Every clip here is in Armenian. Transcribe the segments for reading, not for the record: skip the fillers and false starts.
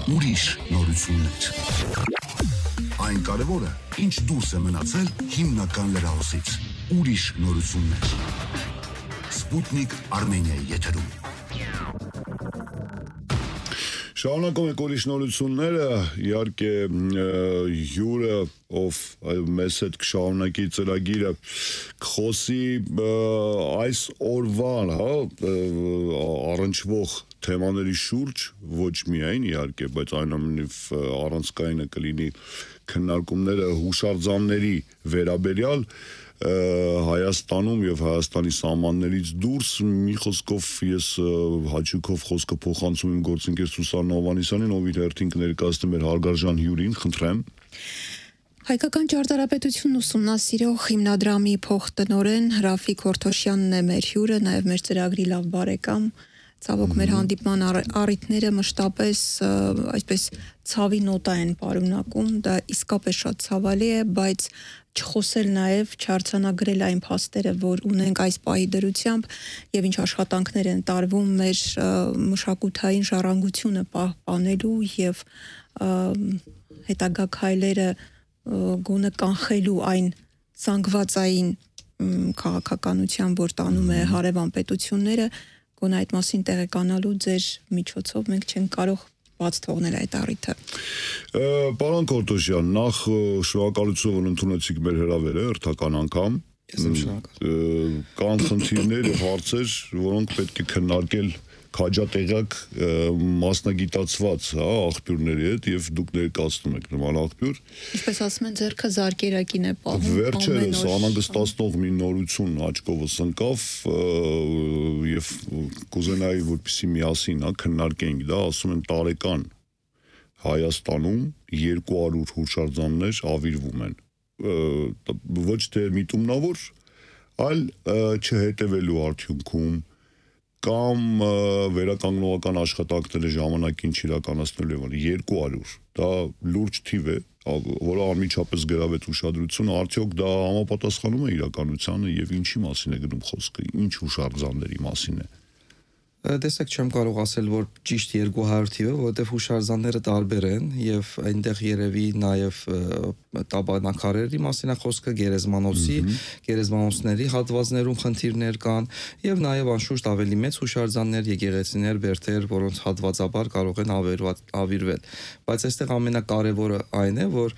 ուրիշ նորություններ։ Այն կարևորը, ինչ դուրս է մնացել հիմնական լրահոսից։ Ուրիշ նորություններ։ Սպուտնիկ Արմենիայի եթերում։ Շարունակում եք ուրիշ նորությունները, իհարկե հյուրը, ով մեզ հետ կշարունակի ծրագիրը, կխոսի այս օրվան առնչվող թեմաների շուրջ, ոչ միայն իհարկե, բայց այնուամենայնիվ առանցքայինը կլինի քննարկումները հուշարձանների վերաբերյալ Հայաստանում եւ Հայաստանի սահմաններից դուրս մի խոսքով ես հաճույքով խոսքը փոխանցում եմ գործընկեր Սուսաննա Հովհաննիսյանին, ով իր հերթին կներկայացնի մեր հարգարժան հյուրին, խնդրեմ։ Հայկական ճարտարապետությունն ուսումնասիրող հիմնադրամի փոխտնօրեն Ռաֆիկ Հորթոշյանն է մեր հյուրը, նաև մեր ծրագրի լավ բարեկամ։ Ցավոք մեր հանդիպման առիթները մշտապես այսպես ցավի նոտա են պարունակում, դա իսկապես շատ ցավալի է, բայց չխոսել նաև չարձանագրել այն փաստերը, որ ունենք այս պահի դրությամբ եւ ինչ աշխատանքներ են տարվում մեր մշակութային ժառանգությունը պահպանելու եւ հետագա քայլերը գոնե կանխելու այն զանգվածային քաղաքականության, որ տանում է հարևան պետությունները, գոնե այդ մասին տեղեկանալու ձեր միջոցով մենք չենք կարող բաց թողնել այդ առիթը։ Պարոն Հորթոշյան, նախ շնորհակալություն, որ ընդունեցիք մեր հրավերը հերթական անգամ։ Ես եմ շնորհակալ։ Կան խնդիրներ եւ հարցեր, որոնք պետք է քննարկել քաջատեղյակ մասնագիտացված աղբյուրների հետ եւ դուք ներկայացնում եք նման աղբյուր։ Ինչպես ասում են, ձեռքը զարկերակին է պահում։ Վերջերս անհանգստացնող մի նորություն աչքովս ընկավ եւ կուզենայի որպեսզի միասին քննարկենք դա, ասում են տարեկան Հայաստանում 200 հուշարձաններ ավիրվում են։ Ոչ թե միտումնավոր, այլ չհետևելու արդյունքում կամ վերականգնողական աշխատանքները ժամանակին չիրականացնելու են 200, դա լուրջ թիվ է, որը անմիջապես գրավեց ուշադրությունը, արդյոք դա համապատասխանում է իրականությանը եւ ինչի մասին է գնում խոսքը, ինչ հուշարձանների մասին է։ Տեսեք, չեմ կարող ասել, որ ճիշտ 200 թիվը, որովհետև հուշարձանները տարբեր են եւ այնտեղ երևի նաեւ տաբանակարերի մասին է խոսքը, գերեզմանոցների հատվածներում խնդիրներ կան եւ նաեւ անշուշտ ավելի մեծ հուշարձաններ, եկեղեցիներ, բերդեր, որոնց հատվածաբար կարող են ավիրվել։ Բայց այստեղ ամենակարևորը այն է, որ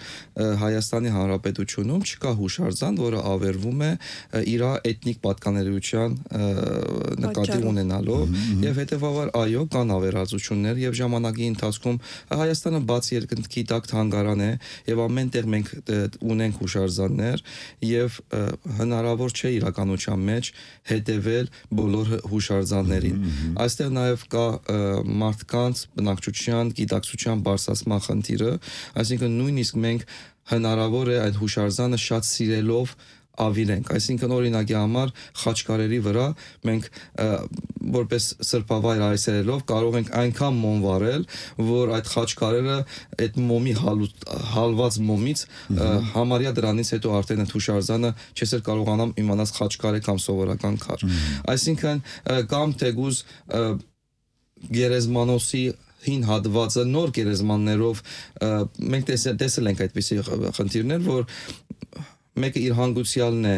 Հայաստանի Հանրապետությունում չկա հուշարձան, որը ավերվում է իր էթնիկ պատկանելիության նկատի ունենալով եւ հետեւաբար այո կան ավերածություններ եւ ժամանակի ընթացքում Հայաստանը բաց երկնքի տակ թանգարան է եւ ամենտեղ մենք ունենք հուշարձաններ եւ հնարավոր չէ իրականության մեջ հետեւել բոլոր հուշարձաններին։ Այստեղ նաեւ կա մարդկանց բնակչության գիտակցության բարձրացման խնդիրը, այսինքն նույնիսկ մենք հնարավոր է այդ հուշարձանը շատ սիրելով ավիրենք, այսինքն օրինակի համար Խաչկարերի վրա մենք որպես սրբավայր այցելելով կարող ենք այնքան մոմ վառել, որ այդ խաչկարերը այդ մոմի հալված մոմից համարյա դրանից հետո արդեն այդ հուշարձանը չես էլ կարողանամ իմանալ խաչկար է կամ սովորական քար։ Այսինքն կամ թեկուզ գերեզմանոցի հին հատվածը նոր գերեզմաններով մենք տեսել ենք այդպիսի խնդիրներ, որ մեկը իր հանգուցյալն է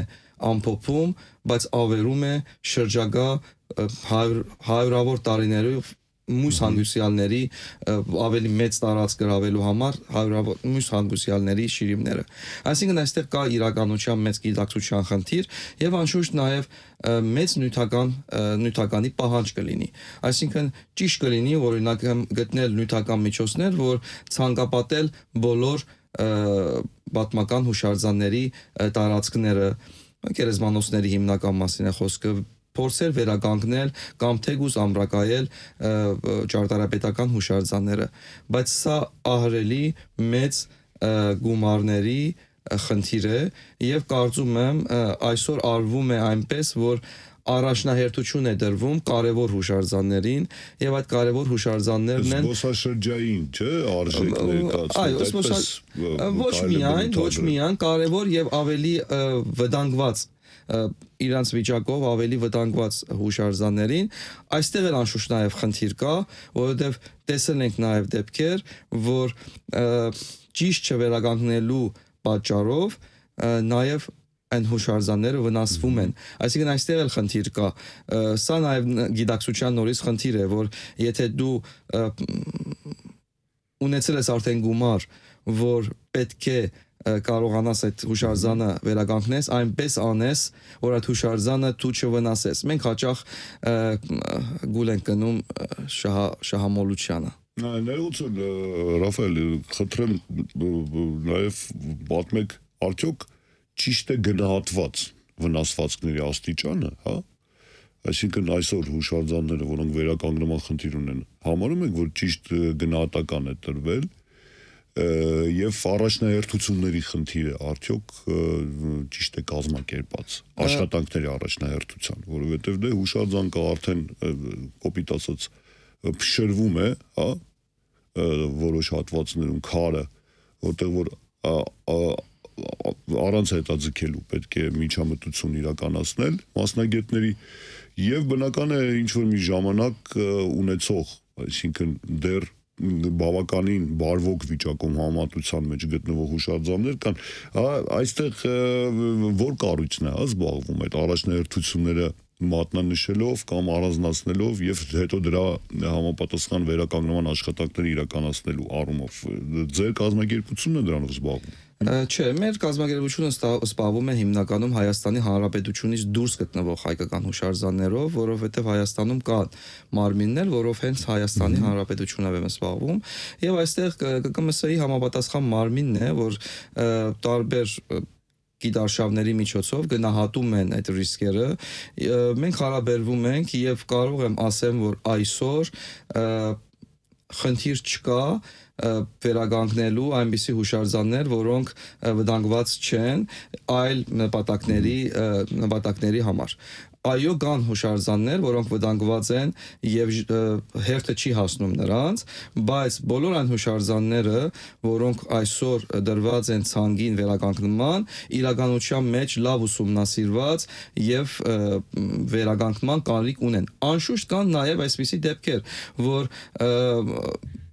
ամփոփում, բայց ավերում է շրջագա հարյուրավոր տարիներով մյուս հանգուցյալների ավելի մեծ տարածք գրավելու համար հարյուրավոր մյուս հանգուցյալների շիրիմները։ Այսինքն այստեղ կա իրականության մեծ գիտակցության խնդիր եւ անշուշտ նաեւ մեծ նյութականի պահանջ կլինի։ Այսինքն ճիշտ կլինի օրինակ գտնել նյութական միջոցներ, որ ցանկապատել բոլոր պատմական հուշարձանների տարածքները, գերեզմանոցների հիմնական մասին է խոսքը, փորձել վերականգնել կամ թեկուզ ամրակայել ճարտարապետական հուշարձանները, բայց սա ահռելի մեծ գումարների խնդիր է եւ կարծում եմ այսօր արվում է այնպես, որ առաջնահերթություն է դրվում կարևոր հուշարձաններին եւ այդ կարևոր հուշարձաններն են զբոսաշրջային, չէ, արժեքներ ոչ միայն կարևոր եւ ավելի վտանգված իրանց վիճակով ավելի վտանգված հուշարձաններին, այստեղ էլ անշուշտ նաև խնդիր կա, որովհետև տեսել ենք նաև դեպքեր, որ ճիշտ չվերականգնելու պատճառով նաև այն հուշարձանները վնասվում են։ Այսինքն այստեղ էլ խնդիր կա։ Սա նաև գիտակցության նորից խնդիր է, որ եթե դու ունեցել ես արդեն գումար, որ պետք է կարողանաս այդ հուշարձանը վերականգնես, այնպես անես, որ այդ հուշարձանը դու չվնասես։ Մենք հաճախ գուլ ենք գնում շահամոլությանը։ Ներողություն, Ռաֆայել, խնդրեմ նաև պատմեք, արդյոք ճիշտ է գնահատված վնասվածքների աստիճանը, հա? Այսինքն այսօր հուշարձանները, որոնք վերականգնման խնդիր ունեն, համարում եք, որ ճիշտ գնահատական է տրվել եւ առաջնահերթությունների խնդիրը արդյոք ճիշտ է կազմակերպած աշխատանքների առաջնահերթության, որովհետեւ դե հուշարձան կա արդեն կոպիտ ասած փշրվում է, հա, որոշ հատվածներում քարը, որտեղ որ առանց հետաձգելու պետք է միջամտություն իրականացնել մասնագետների եւ բնական է ինչ որ մի ժամանակ ունեցող, այսինքն դեռ բավականին բարվոք վիճակում համատության մեջ գտնվող հուշարձաններ կան, այստեղ որ կառույցն է զբաղվում այդ առաջնահերթությունները մատնանշելով կամ առանձնացնելով եւ հետո դրա համապատասխան վերականգնման աշխատանքները իրականացնելու առումով ձեր կազմակերպությունն է դրանով զբաղվում։ Չէ, մեր կազմակերպությունը զբաղվում է հիմնականում Հայաստանի Հանրապետությունից դուրս գտնվող հայկական հուշարձաններով, որովհետև Հայաստանում կան մարմիններ, որով հենց Հայաստանի Հանրապետությունով է զբաղվում, եւ այստեղ ԿԿՄՍ-ի համապատասխան մարմինն է, որ տարբեր գիտարշավների միջոցով գնահատում են այդ ռիսկերը, մենք հարաբերվում ենք եւ կարող եմ ասեմ, որ այսօր խնդիր չկա վերականգնելու այնպիսի հուշարձաններ, որոնք վտանգված չեն այլ նպատակների համար։ Այո, կան հուշարձաններ, որոնք վտանգված են եւ հերթը չի հասնում նրանց, բայց բոլոր այն հուշարձանները, որոնք այսօր դրված են ցանգին վերականգնման, իրականության մեջ լավ ուսումնասիրված եւ վերականգնման կարիք ունեն։ Անշուշտ կան նաեւ այսպիսի դեպքեր, որ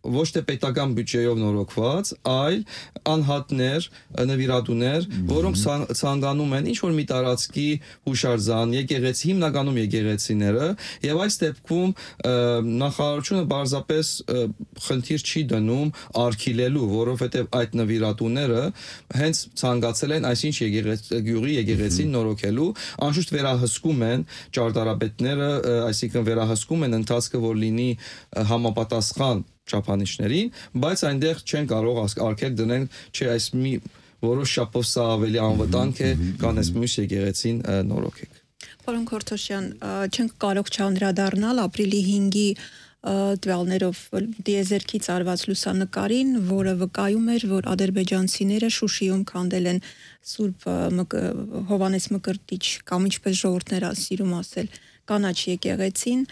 ոչ թե պետական բյուջեով նորոգված, այլ անհատներ, նվիրատուներ, որոնք ցանկանում են ինչ-որ մի տարածքի հուշարձան, եկեղեցի, հիմնականում եկեղեցիները, եւ այս դեպքում նախարարությունը պարզապես խնդիր չի դնում արգելելու, որովհետեւ այդ նվիրատուները հենց ցանկացել են այսինչ գյուղի եկեղեցին նորոգելու, անշուշտ վերահսկում են ճարտարապետները, այսինքն վերահսկում են ընթացքը, որ լինի համապատասխան չափանիշներին, բայց այնտեղ չեն կարող արգել դնել, չէ, այս մի որոշ շապով սա ավելի անվտանգ է, կան այս մյուս եկեղեցին նորոգեք։ Պարոն Քորթոշյան, չենք կարող չանդրադառնալ ապրիլի 5-ի տվյալներով դիեզերքից արված լուսանկարին, որը վկայում էր, որ ադրբեջանցիները Շուշիում քանդել են Սուրբ Հովանես Մկրտիչ կամ ինչպես ժողովուրդներ ասիրում ասել, կանաչ եկեղեցին,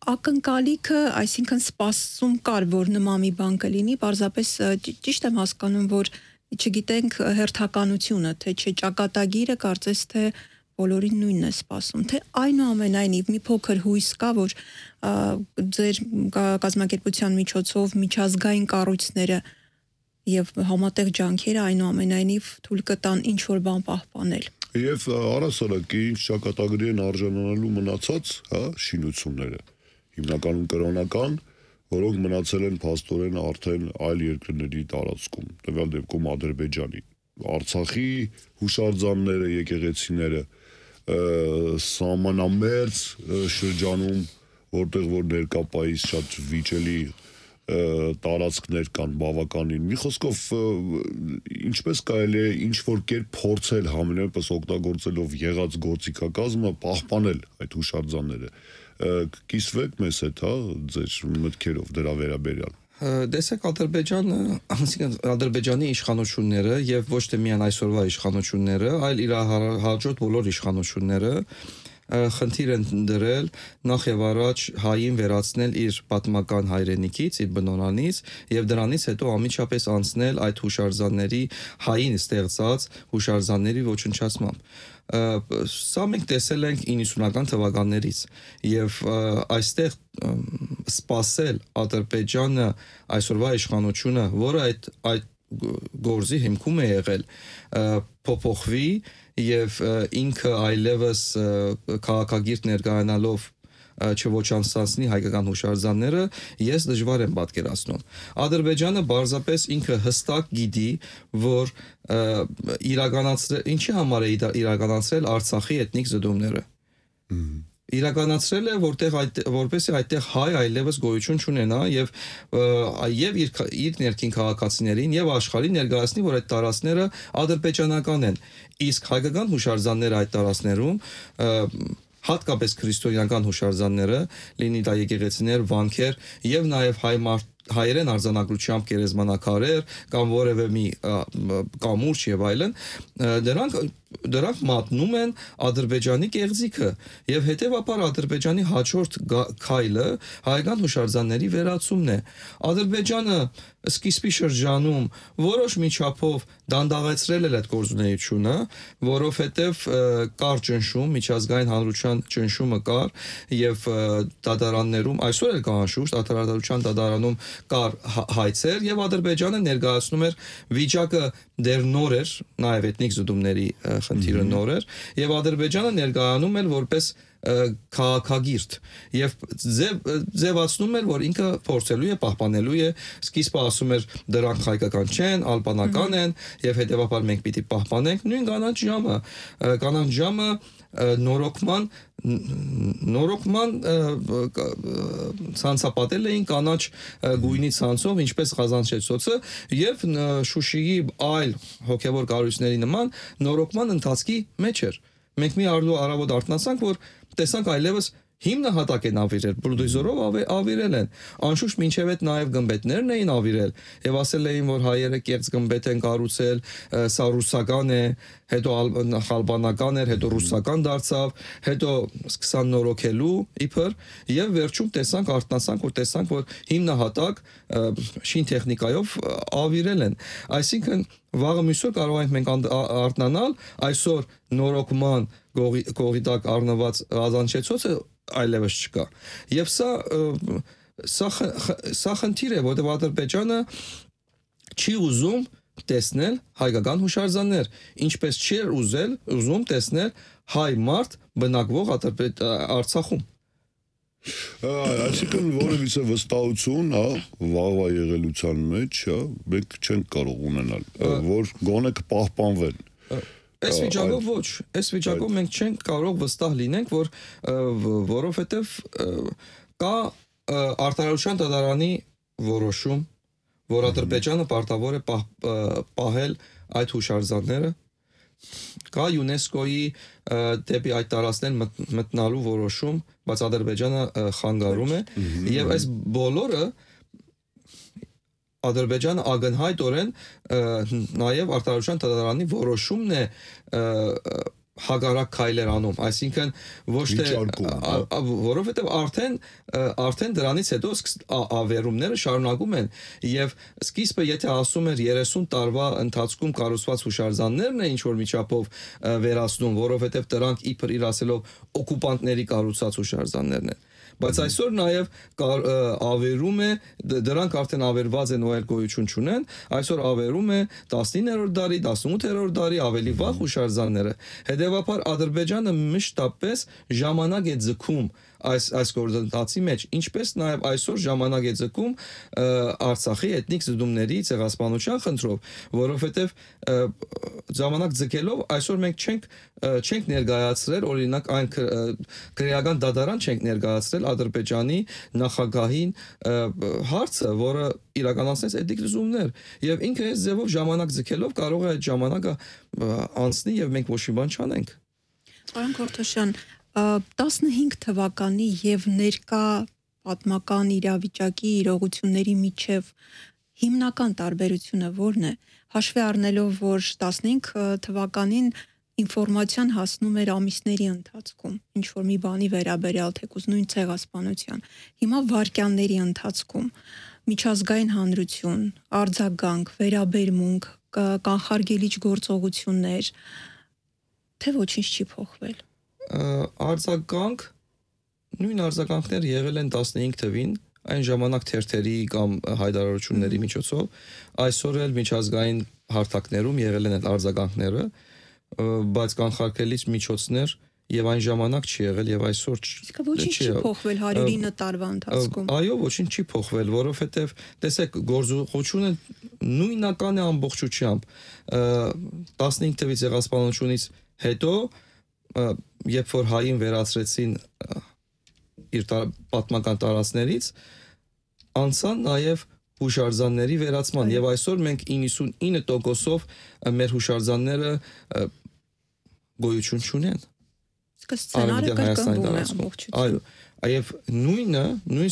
ակնկալիքը, այսինքն սպասում կար, որ նման մի բան կլինի, պարզապես ճիշտ եմ հասկանում, որ չգիտենք հերթականությունը, թե չէ ճակատագիրը կարծես թե բոլորին նույնն է սպասում, թե այնուամենայնիվ մի փոքր հույս կա, որ ձեր կազմակերպության միջոցով միջազգային կառույցները եւ համատեղ ջանքերը այնուամենայնիվ թույլ կտան ինչ որ բան պահպանել։ Եվ առասարակ ինչ ճակատագրի են արժանանալու մնացած, հա, շինությունները, հիմնականում կրոնական, որոնք մնացել են փաստորեն արդեն այլ երկրների տարածքում, տվյալ դեպքում Ադրբեջանի, Արցախի հուշարձանները, եկեղեցիները, սահմանամերձ շրջանում, որտեղ որ ներկապայից շատ վիճելի տարածքներ կան բավականին։ Մի խոսքով ինչպես կարելի է ինչ որ կերպ փորձել համենայնպես օգտագործելով եղած գործիքակազմը պահպանել այդ հուշարձանները։ Կիսվեք մեզ հետ, հա, ձեր մտքերով դրա վերաբերյալ։ Տեսեք, Ադրբեջանը, այսինքն Ադրբեջանի իշխանությունները եւ ոչ թե միայն այսօրվա իշխանությունները, այլ իր հաջորդ բոլոր իշխանությունները խնդիր են դրել նախ եւ առաջ հային վերացնել իր պատմական հայրենիքից, իր բնորանից եւ դրանից հետո ամիջապես անցնել այդ հուշարձանների հային ստեղծած հուշարձանների ոչնչացմամբ։ Սա մենք տեսել ենք 90-ական թվականներից եւ այստեղ սպասել Ադրբեջանը այսօրվա իշխանությունը, որը այդ գործի հիմքում է եղել, փոփոխվի եւ ինքը այլևս քաղաքագիրտ ներկայանալով չոչանցնի հայկական հուշարձանները, ես դժվար եմ պատկերացնում։ Ադրբեջանը բարձրապես ինքը հստակ գիտի, որ ինչի համար է իրականացրել Արցախի էթնիկ զդումները։ Իրականացրել է, որպեսզի այդտեղ հայ այլևս գոյություն չունենա եւ իր ներքին քաղաքացիներին եւ աշխարհին ներկայացնի, որ այդ տարածքները ադրբեջանական են։ Իսկ հայկական հուշարձանները այդ տարածքներում հատկապես քրիստոնեական հուշարձանները, լինի դա եկեղեցիներ, վանքեր եւ նաեւ հայերեն արձանագրությամբ գերեզմանակարեր կամ որևէ մի կամուրջ եւ այլն, դրանք մատնում են Ադրբեջանի կեղծիքը եւ հետեւաբար Ադրբեջանի հաջորդ քայլը հայկական հուշարձանների վերացումն է։ Ադրբեջանը սկիզբի շրջանում որոշ միջափով դանդաղեցրել էր այդ գործունեությունը, որովհետեւ կար ճնշում, միջազգային հանրության ճնշումը կար եւ դատարաններում այսօր էլ կա անշուշտ արտադրության դատարանում կար հայցեր եւ Ադրբեջանը ներկայացնում էր վիճակը դեռ նոր էր, նաեւ էթնիկ զդումների խնդիրը նոր էր եւ Ադրբեջանը ներկայանում էր որպես քաղաքագիրտ եւ ձևացնում էր, որ ինքը փորձելու է պահպանելու է, սկիզբը ասում էր դրանք հայկական չեն, ալբանական են եւ հետեւաբար մենք պիտի պահպանենք նույն կանանչ ժամը նորոգման ցանցապատել էին կանաչ գույնի ցանցով, ինչպես Ղազանչեցոցը եւ Շուշիի այլ հոգեվոր կառույցների նման նորոգման ընթացքի մեջ էր։ Մենք մի առավոտ արթնացանք, որ տեսանք այլևս հիմնահատակ են ավիրել, բուլդոզերով ավիրել են։ Անշուշտ մինչև այդ նաև գմբեթներն էին ավիրել եւ ասել էին, որ հայերը կեղծ գմբեթ են կառուցել, սա ռուսական է, հետո ալբանական էր, հետո ռուսական դարձավ, հետո սկսան նորոգելու իբր եւ վերջում արթնացանք, որ հիմնահատակ շին տեխնիկայով ավիրել են։ Այսինքն վաղը մյուսօր կարող ենք մենք արթնանալ, այսօր նորոգման կողի տակ առնված Ղազանչեցոցը այլևս չկա։ Եվ սա խնդիր է, որտեղ Ադրբեջանը չի ուզում տեսնել հայկական հուշարձաններ, ինչպես չի ուզում տեսնել հայ մարդ բնակվող Արցախում։ Այսինքն որևիցե վստահություն, վաղվա եղելության մեջ, մենք չենք կարող ունենալ, որ գոնե կպահպանվեն։ Այս վիճակով ոչ, այս վիճակով մենք չենք կարող վստահ լինենք, որովհետև կա արտադրության դատարանի որոշում, որ Ադրբեջանը պարտավոր է պահել այդ հուշարձանները, կա ՅՈՒՆԵՍԿՕ-ի դեպի այդ տարածքներ մտնալու որոշում, բայց Ադրբեջանը խանգարում է, եւ այս բոլորը Ադրբեջանը ակնհայտորեն նաև արտադրության դատարանի որոշումն է հագարակ քայլեր անում, այսինքն ոչ թե որովհետև արդեն դրանից հետո ավերումները շարունակում են եւ սկիզբը եթե ասում էր 30 տարվա ընթացքում կառուցված հուշարձաններն է ինչ որ միջապով վերացնում, որովհետև դրանք իբր իր ասելով օկուպանտների կառուցած հուշարձաններն են, բայց այսօր նաև ավերում է, դրանք արդեն ավերված են ու այլ գոյություն չունեն, այսօր ավերում է 19-րդ դարի, 18-րդ դարի ավելի վաղ հուշարձանները։ Հետևաբար Ադրբեջանը մշտապես ժամանակ է ձգում այս գործընթացի մեջ, ինչպես նաև այսօր ժամանակ է ձգում Արցախի էթնիկ զդումների ցեղասպանության խնդրով, որովհետև ժամանակ ձգելով այսօր մենք չենք ներկայացրել, օրինակ այն քրեական դատարան չենք ներկայացրել Ադրբեջանի նախագահին հարցը, որը իրականացնեց էթնիկ զդումներ, եւ ինքը այս ձևով ժամանակ ձգելով կարող է այդ ժամանակը անցնի եւ մենք ոչ մի բան չանենք։ Պարոն Քորթոշյան, 15 թվականի եւ ներկա պատմական իրավիճակի իրողությունների միջև հիմնական տարբերությունը ո՞րն է։ Հաշվի առնելով, որ 15 թվականին ինֆորմացիան հասնում էր ամիսների ընթացքում, ինչ որ մի բանի վերաբերյալ թեկուզ նույն ցեղասպանության։ Հիմա վայրկյանների ընթացքում միջազգային հանրություն, արձագանք, վերաբերմունք, կանխարգելիչ գործողություններ, թե ոչինչ չի փոխվել։ Արձագանք, նույն արձագանքներ եղել են 15 թվին, այն ժամանակ թերթերի կամ հայտարարությունների միջոցով, այսօր էլ միջազգային հարթակներում եղել են այդ արձագանքները, բայց կանխարգելիչ միջոցներ եւ այն ժամանակ չի եղել եւ այսօր ոչինչ չի փոխվել 109 տարվա ընթացքում։ Այո, ոչինչ չի փոխվել, որովհետեւ տեսեք, գործողությունը նույնական է ամբողջությամբ 15 թվի ցեղասպանությունից հետո, երբ որ հային վերացրեցին իր պատմական տարածքներից, անցան նաեւ հուշարձանների վերացման եւ այսօր մենք 99%-ով մեր հուշարձանները գոյություն չունեն։ Սցենարը կրկնվում է ամբողջությամբ։ Այո, այև նույն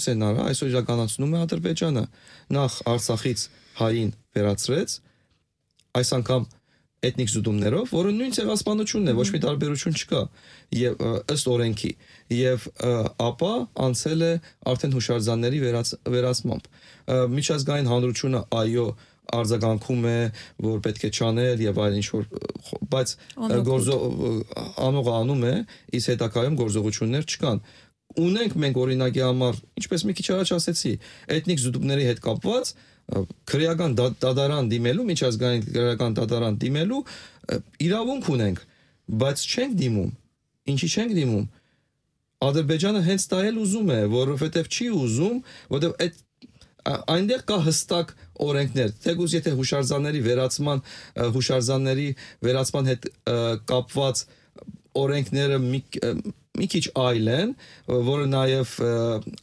սցենարը այսօր իրականացնում է Ադրբեջանը։ Նախ Արցախից հային վերացրեց, այս անգամ էթնիկ զուտումներով, որը նույն ցեղասպանությունն է, ոչ մի տարբերություն չկա, եւ ըստ օրենքի, եւ ապա անցել է արդեն հուշարձանների վերացմամբ։ Միջազգային հանրությունը այո արձագանքում է, որ պետք է չանել եւ այլ ինչ որ, բայց անողը անում է, իսկ հետագայում գործողություններ չկան։ Ունենք մենք օրինակի համար, ինչպես մի քիչ առաջ ասեցի, էթնիկ զուտումների հետ կապված քրեական դատարան դիմելու, միջազգային քրեական դատարան դիմելու իրավունք ունենք, բայց չենք դիմում։ Ինչի չենք դիմում։ Ադրբեջանը հենց դա էլ ուզում է, որովհետեւ չի ուզում, որովհետեւ այդ այնտեղ կա հստակ օրենքներ, թեկուզ եթե հուշարձանների վերացման հետ կապված օրենքները մի քիչ այլ են, որը նաև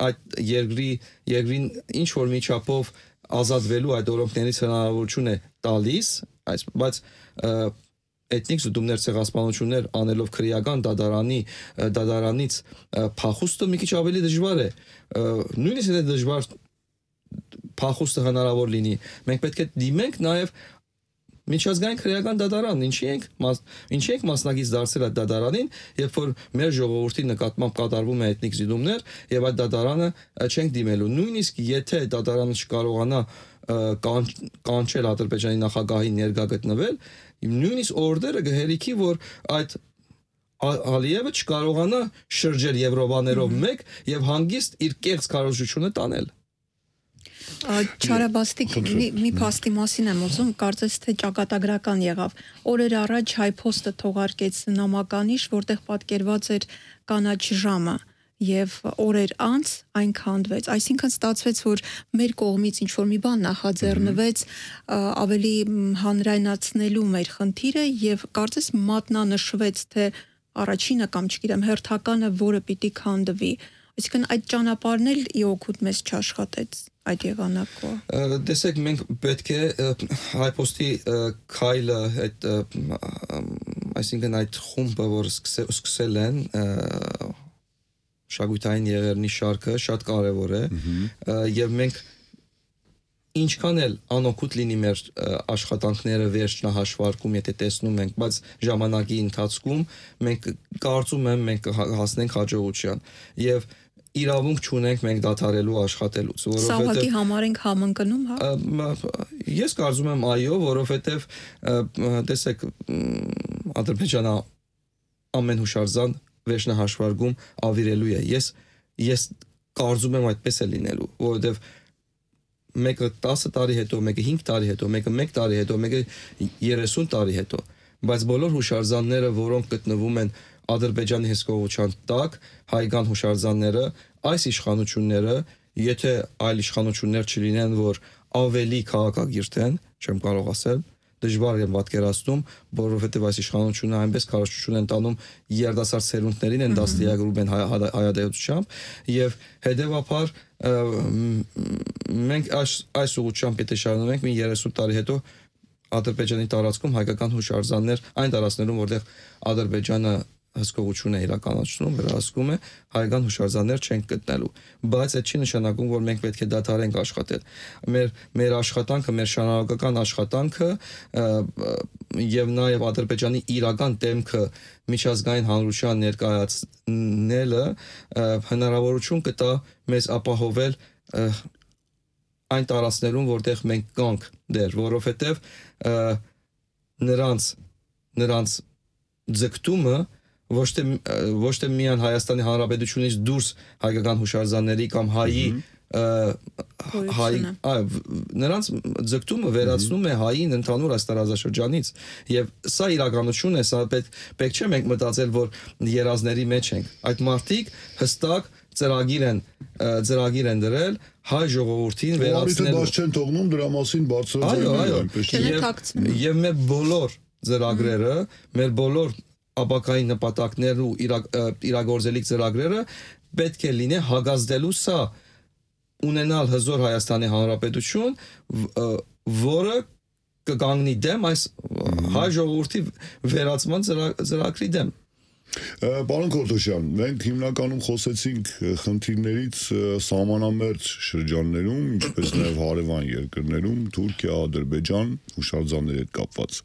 այդ երկրին ինչ որ միջապով ազատվելու այդ օրենքներից հնարավորություն է տալիս, բայց էթնիկ զուտումներ, ցեղասպանություններ անելով քրեական դատարանից փախուստը մի քիչ ավելի դժվար է։ Նույնիսկ եթե դժվար փախուստը հնարավոր լինի, մենք պետք է դիմենք նաև միջազգային քրեական դատարան, ինչի ենք մասնակից դարձել այդ դատարանին, երբ որ մեր ժողովրդի նկատմամբ կատարվում է էթնիկ զուտումներ եւ այդ դատարանը չենք դիմելու։ Նույնիսկ եթե դատարանը չկարողանա կանչել Ադրբեջանի նախագահին ներկա գտնվել, նույնիսկ օրդերը գհերիքի, որ այդ Ալիևը չկարողանա շրջել Եվրոպաներով մեկ եւ հանգիստ իր կեղծ քարոզությունը տանել։ Չարաբաստիկ մի փաստի մասին եմ ուզում, կարծես թե ճակատագրական եղավ։ Օրեր առաջ Հայփոստը թողարկեց նամականիշ, որտեղ պատկերված էր կանաչ ժամը եւ օրեր անց այն քանդվեց։ Այսինքն ստացվեց, որ մեր կողմից ինչ որ մի բան նախաձեռնվեց ավելի հանրայնացնելու մեր խնդիրը եւ կարծես մատնանշվեց, թե առաջինը կամ չգիտեմ հերթականը, որը պիտի քանդվի։ Այսինքն այդ ճանապարհն էլ ի օգուտ մեզ չաշխատեց այդ եղանակով։ Տեսեք, մենք պետք է Հայփոստի քայլը այդ այսինքն այդ խումբը, որ սկսել են շագույթային եղերնի շարքը շատ կարևոր է եւ մենք ինչքան էլ անօգուտ լինի մեր աշխատանքները վերջնահաշվարկում, եթե տեսնում ենք, բայց ժամանակի ընթացքում մենք կարծում եմ մենք հասնենք հաջողության եւ իրավունք չունենք մենք դադարելու աշխատելուց, որովհետեւ Սա ուղղակի համար ենք համընկնում, հա։ Ես կարծում եմ այո, որովհետեւ տեսեք Ադրբեջանը ամեն հուշարձան վերջնահաշվարկում ավիրելու է։ Ես կարծում եմ այդպես է լինելու, որովհետեւ մեկը 10 տարի հետո, մեկը 5 տարի հետո, մեկը 1 տարի հետո, մեկը 30 տարի հետո, բայց բոլոր հուշարձանները, որոնք գտնվում են Ադրբեջանի հսկողության տակ, հայկական հուշարձանները, այս իշխանությունները, եթե այլ իշխանություններ չլինեն, որ ավելի քաղաքակիրթ են, չեմ կարող ասել, դժվար եմ պատկերացնում, որովհետև այս իշխանությունը այնպես քարոզչություն են տանում երիտասարդ սերունդներին են դաստիարակում են հայադայությամբ եւ հետեւաբար մենք այս ուղղությամբ եթե շարունակենք մի 30 տարի հետո Ադրբեջանի տարածքում հայկական հուշարձաններ այն տարածներում որտեղ Ադրբեջանը հսկողություն է իրականացնում, վերահսկում է, հայկական հուշարձաններ չենք գտնելու։ Բայց այդ չի նշանակում, որ մենք պետք է դադարենք աշխատել։ Մեր աշխատանքը, մեր շարունակական աշխատանքը եւ նաեւ Ադրբեջանի իրական դեմքը միջազգային հանրության ներկայացնելը հնարավորություն կտա մեզ ապահովել այն տարածքներում, որտեղ մենք կանք դեր, որովհետեւ նրանց ձգտումը ոչ թե միայն Հայաստանի Հանրապետությունից դուրս հայկական հուշարձանների կամ հայի նրանց ձգտումը վերացնում է հային ընդհանուր այս տարածաշրջանից եւ սա իրականություն է, սա պետք չէ մենք մտածել, որ երազների մեջ ենք։ Այդ մարդիկ հստակ ծրագիր են դրել հայ ժողովրդին վերացնելու։ Բայց չեն թողնում դրա մասին բարձրացնել։ Եվ մեր բոլոր ծրագրերը, մեր բոլոր ապակային նպատակներն ու իրագործելիք ծրագրերը պետք է լինի հագազդելու սա ունենալ հզոր Հայաստանի Հանրապետություն, որը կգանգնի դեմ այս հայ ժողովրդի վերացման ծրագրի դեմ։ Պարոն Քորթոշյան, մենք հիմնականում խոսեցինք խնդիրներից սահմանամերձ շրջաններում, ինչպես նաև հարևան երկրներում, Թուրքիա, Ադրբեջան, հուշարձանների հետ կապված։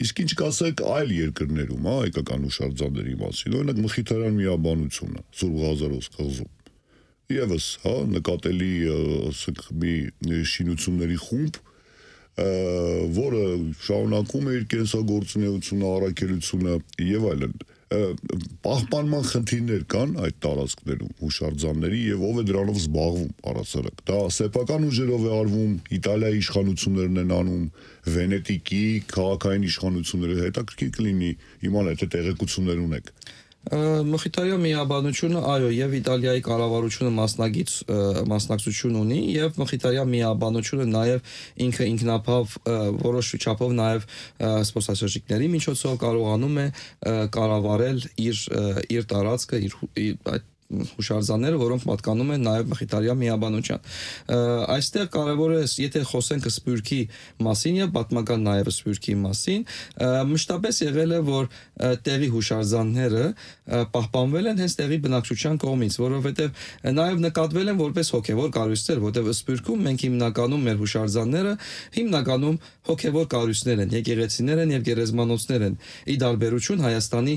Իսկ ինչ կասեք այլ երկրներում, հայկական հուշարձանների մասին, օրինակ Մխիթարյան միաբանությունը, Սուրբ Ղազարոս կղզում։ Եվս, նկատելի ասենք մի շինությունների խումբ, որը շարունակում է իր կենսագործունեությունը, առաքելությունը եւ այլն։ Պահպանման խնդիրներ կան այդ տարածքներում, հուշարձանների եւ ով է դրանով զբաղվում առասարակ։ Դա սեփական ուժերով է արվում, Իտալիայի իշխանություններն են անում, Վենետիկի քաղաքային իշխանությունները, հետաքրքիր կլինի իմանալ, թե տեղեկություններ ունեք։ Մխիթարյան միաբանությունը, այո, եւ Իտալիայի կառավարությունը մասնակցություն ունի եւ Մխիթարյան միաբանությունը նաեւ ինքը ինքնաբավ որոշ չափով նաեւ սպորտասերժիկների միջոցով կարողանում է կառավարել իր տարածքը, իր հուշարձանները, որոնք պատկանում են նաև Մխիթարյան միաբանության։ Այստեղ կարևոր է, եթե խոսենք Սփյուռքի մասին եւ պատմական նաև Սփյուռքի մասին, մշտապես եղել է, որ տեղի հուշարձանները պահպանվել են հենց տեղի բնակչության կողմից, որովհետեւ նաև նկատվել են որպես հոգեվոր կառույցներ, որտեղ Սփյուռքում մենք հիմնականում մեր հուշարձանները հիմնականում հոգեվոր կառույցներ են, եկեղեցիներ են եւ գերեզմանոցներ են։ Ի տարբերություն Հայաստանի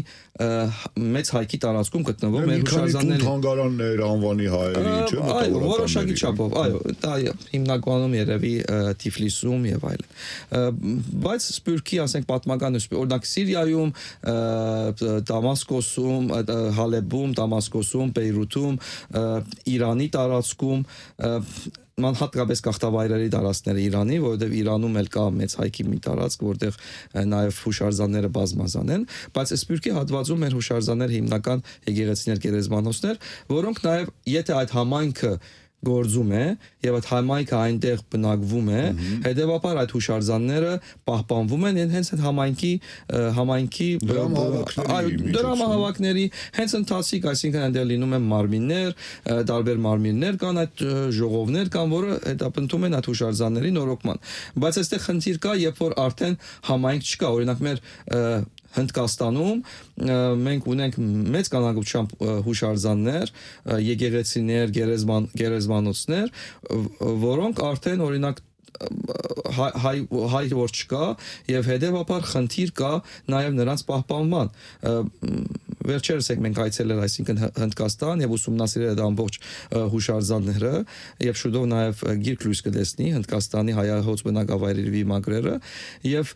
մեծ հայքի տարածքում գտնվող մեր հուշարձանների թանգարաններ անվանի հայերի, չէ՞, այո, որոշակի չափով, այո, դա հիմնականում երևի Թիֆլիսում եւ այլն։ Բայց Սփյուռքի, ասենք, պատմական օրինակ Սիրիայում, Դամասկոսում, Հալեբում, Դամասկոսում, Բեյրութում, Իրանի տարածքում հատկապես գաղթավայրերի տարածքները Իրանի, որովհետև Իրանում էլ կա մեծ հայքի մի տարածք, որտեղ նաև հուշարձանները բազմազան են, բայց Սփյուռքի հատվածում մեր հուշարձանները հիմնական եկեղեցիներ, գերեզմանոցներ, որոնք նաև եթե այդ համայնքը գործում է եւ այդ համայնքը այնտեղ բնակվում է, հետեւաբար այդ հուշարձանները պահպանվում են հենց այդ համայնքի դրամահավաքների հենց ընթացիկ, այսինքն այնտեղ լինում են մարմիններ, տարբեր մարմիններ կան, այդ ժողովներ կան, որը հետապնդում են այդ հուշարձանների նորոգման։ Բայց այստեղ խնդիր կա, երբ որ արդեն համայնք չկա, օրինակ մեր Հնդկաստանում մենք ունենք մեծ քանակությամբ հուշարձաններ, եկեղեցիներ, գերեզմանոցներ, որոնք արդեն օրինակ հայ որ չկա եւ հետեւաբար խնդիր կա նաեւ նրանց պահպանման։ Վերջերս մենք այցելել, այսինքն Հնդկաստան եւ ուսումնասիրել այդ ամբողջ հուշարձանները եւ շուտով նաեւ գիրք լույս կտեսնի Հնդկաստանի հայահոց բնակավայրերի մագրերը եւ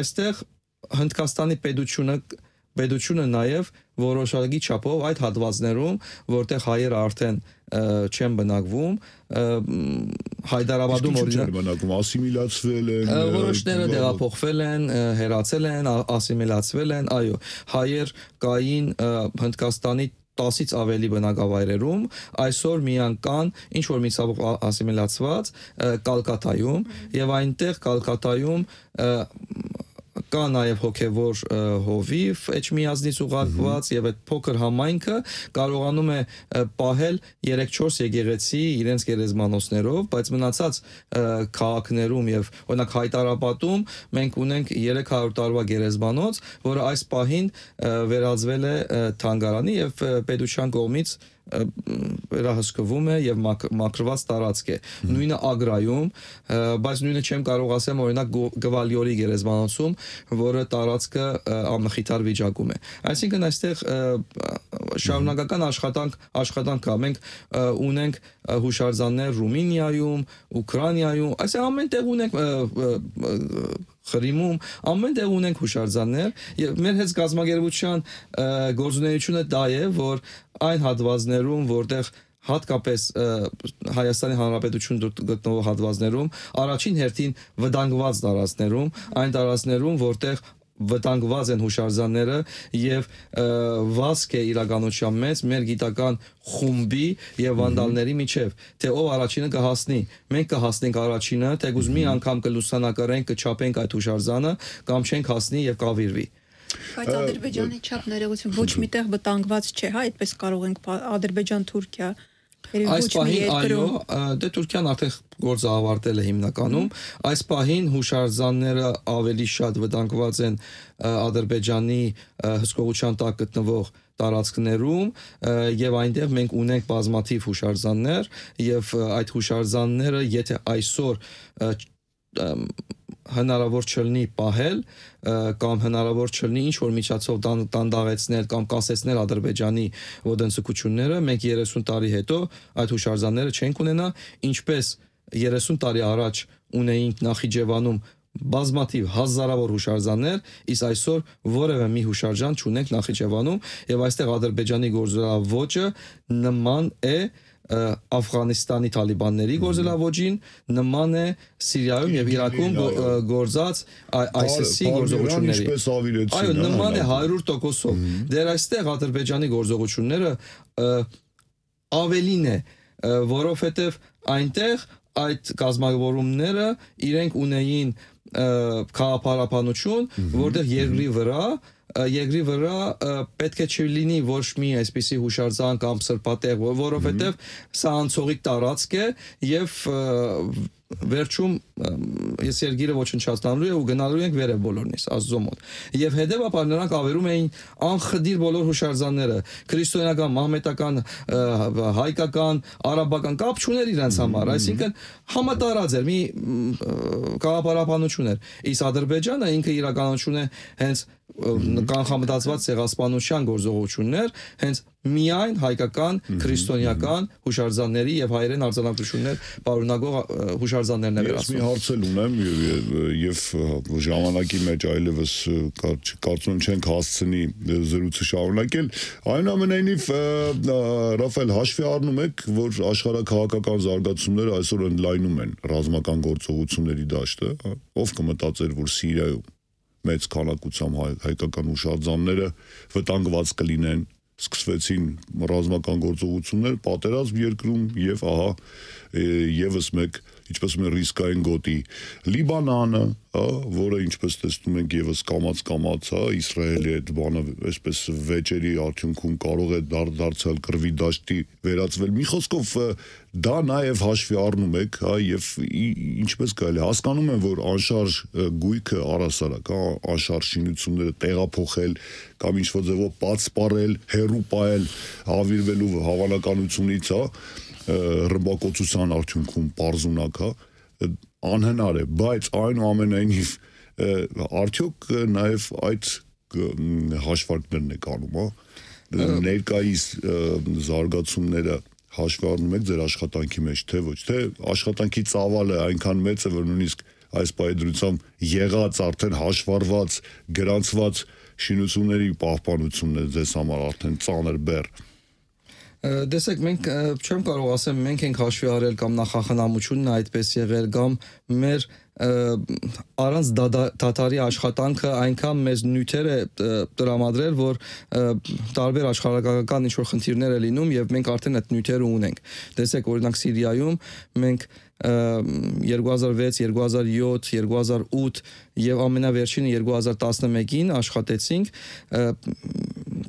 այստեղ Հնդկաստանի պետությունը նաև որոշակի չափով այդ հատվածներում, որտեղ հայերը արդեն չեն բնակվում, Հայդարաբադում օրինակ ասիմիլացվել են, որոշները տեղափոխվել են, հեռացել են, ասիմիլացվել են, այո, հայեր կային Հնդկաստանի 10-ից ավելի բնակավայրերում, այսօր միայն կան ինչ որ մի ցավոք ասիմիլացված Կալկատայում եւ այնտեղ Կալկատայում կա նաև հոգևոր հովիվ էջմիածնից ուղարկված եւ այդ փոքր համայնքը կարողանում է պահել 3-4 եկեղեցի իրենց գերեզմանոցներով, բայց մնացած քաղաքներում եւ օրինակ Հայտարապատում մենք ունենք 300 տարվա գերեզմանոց, որը այս պահին վերածվել է թանգարանի եւ պետության կողմից վերահսկվում է եւ մաքրված տարածք է։ Նույնը Ագրայում, բայց նույնը չեմ կարող ասեմ օրինակ Գվալիորի գերեզմանոցում, որը տարածքը ամխիթար վիճակում է։ Այսինքն այստեղ շարունակական աշխատանք կա։ Մենք ունենք հուշարձաններ Ռումինիայում, Ուկրաինայում, այսինքն ամեն տեղ ունենք Խրիմում, ամեն տեղ ունենք հուշարձաններ եւ մեր հետ գազագերբության գործունեությունը դա է, որ այն հատվածներում, որտեղ հատկապես Հայաստանի Հանրապետություն գտնվող հատվածներում, առաջին հերթին վտանգված տարածքներում, այն տարածքներում, որտեղ վտանգված են հուշարձանները եւ վազք է իրականության մեջ մեր գիտական խումբի եւ վանդալների միջև, թե ով առաջինը կհասնի։ Մենք կհասնենք առաջինը, թեկուզ մի անգամ կլուսանկարենք, կչափենք այդ հուշարձանը, կամ չենք հասնի եւ կավիրվի։ Բայց Ադրբեջանի չափ ներողություն ոչ միտեղ վտանգված չէ, հա, այդպես կարող ենք Ադրբեջան-Թուրքիա Այս պահին այո, դե Թուրքիան արդեն գործը ավարտել է հիմնականում, այս պահին հուշարձանները ավելի շատ վտանգված են Ադրբեջանի հսկողության տակ գտնվող տարածքներում եւ այնտեղ մենք ունենք բազմաթիվ հուշարձաններ եւ այդ հուշարձանները եթե այսօր հնարավոր չլինի պահել կամ հնարավոր չլինի ինչ որ միջոցով դանդաղեցնել կամ կասեցնել Ադրբեջանի ոտնձգությունները, մենք 30 տարի հետո այդ հուշարձանները չենք ունենա, ինչպես 30 տարի առաջ ունեինք Նախիջևանում բազմաթիվ հազարավոր հուշարձաններ, իսկ այսօր որևէ մի հուշարձան չունենք Նախիջևանում եւ այստեղ Ադրբեջանի գործելավոճը նման է Աֆղանստանի Թալիբանների գործելավոճին, նման է Սիրիայում եւ Իրաքում գործած ISIS-ի գործողությունների։ Այո, նման է 100%-ով։ Դեռ այստեղ Ադրբեջանի գործողությունները ավելին է, որովհետեւ այնտեղ այդ կազմավորումները իրենք ունեին քաղաքապարապանություն, որտեղ երկրի վրա պետք է չլինի ոչ մի այսպիսի հուշարձան կամ սրբատեղ, որովհետև սա անցողիկ տարածք է եւ վերջում ես երկիրը ոչնչացնելու է ու գնալու ենք վերև բոլորնից Աստծո մոտ։ Եվ հետեւաբար նրանք ավերում էին անխդիր բոլոր հուշարձանները, քրիստոնեական, մահմեդական, հայկական, արաբական կապ չուներ իրենց համար, այսինքն համատարած էր, մի քաղաքապարապանություն էր։ Իսկ Ադրբեջանը ինքը իրականություն է հենց կանխամտածված ցեղասպանության գործողություններ, հենց միայն հայկական, քրիստոնեական հուշարձանների եւ հայերեն արձանագրություններ պարունակող հուշարձաններն է վերացնում։ Ես մի հարց ունեմ եւ ժամանակի մեջ այլևս կարծում չենք հասցնի զրույցը շարունակել։ Այնուամենայնիվ Ռաֆայել հաշվի առնում եք, որ աշխարհակաղակական զարգացումները այսօր ընդլայնում են ռազմական գործողությունների դաշտը, ով կմտածեր, որ Սիրիայում մեծ քանակությամբ հայկական հուշարձանները վտանգված կլինեն, սկսվեցին ռազմական գործողություններ, պատերազմ երկրում եւ ահա եւս մեկ ինչպես մեր ռիսկային գոտի Լիբանանը, որը ինչպես տեսնում ենք եւս կամած, Իսրայելի հետ բանը այսպես վեճերի արդյունքում կարող է դարձալ կռվի դաշտի վերածվել։ Մի խոսքով դա նաեւ հաշվի առնում եք, եւ ինչպես կարելի հասկանում եմ, որ անշարժ գույքը առասարակ, անշարժ շինությունները տեղափոխել կամ ինչ-որ ձևով պատսպարել, հերու պահել հավիրվելու հավանականությունից, ռմբակոծության արդյունքում պարզունակ, անհնար է, բայց այնուամենայնիվ արդյոք նաև այդ հաշվարկներն եք անում, ներկայիս զարգացումները հաշվի առնում եք ձեր աշխատանքի մեջ, թե ոչ, թե աշխատանքի ծավալը այնքան մեծ է, որ նույնիսկ այս պայդրությամբ եղած արդեն հաշվառված, գրանցված շինությունների պահպանությունն է ձեզ համար արդեն ծանր բեռ։ Տեսեք, մենք չեմ կարող ասեմ, մենք ենք հաշվի առել կամ նախախնամությունն այդպես եղել կամ մեր առանց դատարի աշխատանքը այնքան մեծ նյութեր է տրամադրել, որ տարբեր աշխարհակաղակական ինչ-որ խնդիրներ է լինում եւ մենք արդեն այդ նյութերը ունենք։ Տեսեք, օրինակ Սիրիայում մենք 2006, 2007, 2008 եւ ամենավերջինը 2011-ին աշխատեցինք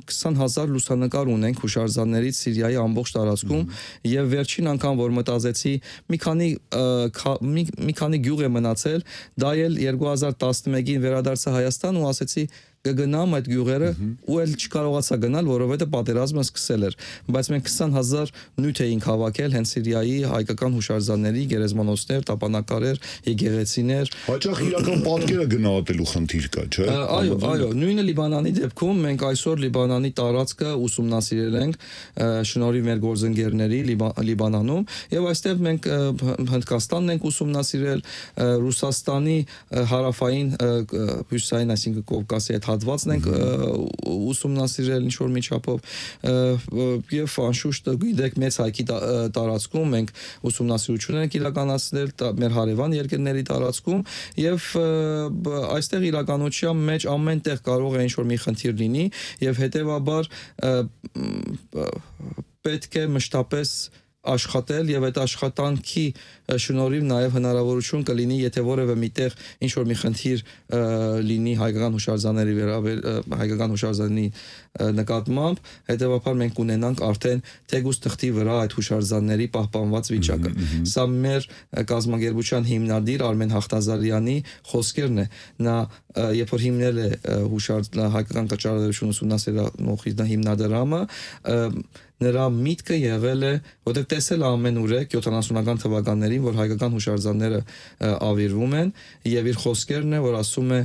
20,000 լուսանկար ունենք հուշարձաններից Սիրիայի ամբողջ տարածքում եւ վերջին անգամ որ մտածեցի մի քանի գյուղ է մնացել, դա էլ 2011-ին վերադարձա Հայաստան ու ասեցի կգնամ այդ գյուղերը ու էլ չկարողացա գնալ, որովհետեւ պատերազմը սկսել էր, բայց մենք 20,000 նյութ էինք հավաքել հենց Սիրիայի հայկական հուշարձանների, գերեզմանոցներ, տապանակարեր, եկեղեցիներ։ Հաճախ իրական պատկերը գնահատելու խնդիր կա, չէ՞։ Այո, նույնը Լիբանանի դեպքում մենք այսօր Լիբանանի տարածքը ուսումնասիրել ենք շնորհիվ մեր գործընկերների Լիբանանում եւ այստեղ մենք Հնդկաստանն ենք ուսումնասիրել, Ռուսաստանի հարավային հյուսային, այսինքն Կովկասի այդ հատվածն ենք ուսումնասիրել ինչ որ միջապով եւ անշուշտ գիտեք մեծ հայքի տարածքում մենք ուսումնասիրություններ ենք իրականացնել մեր հարևան երկրների տարածքում եւ այստեղ իրականության մեջ ամենտեղ կարող է ինչ որ մի խնդիր լինի եւ հետեւաբար պետք է մշտապես աշխատել եւ այդ աշխատանքի շնորհիվ նաեւ հնարավորություն կլինի եթե որևէ միտեղ ինչ որ մի խնդիր լինի հայկական հուշարձանների հայկական հուշարձանի նկատմամբ հետեւաբար մենք ունենանք արդեն թեգուս թղթի վրա այդ հուշարձանների պահպանված վիճակը սա մեր կազմակերպության հիմնադիր Արմեն Հաղթազարյանի խոսքերն է նա երբ որ հիմնել է հայկական կճառարություն ուսումնասիրողի հիմնադրամը նրա միտքը եղել է, որտեղ տեսել ամեն ուրեք 70-ական թվականներին, որ հայկական հուշարձանները ավիրվում են եւ իր խոսքերն է, որ ասում է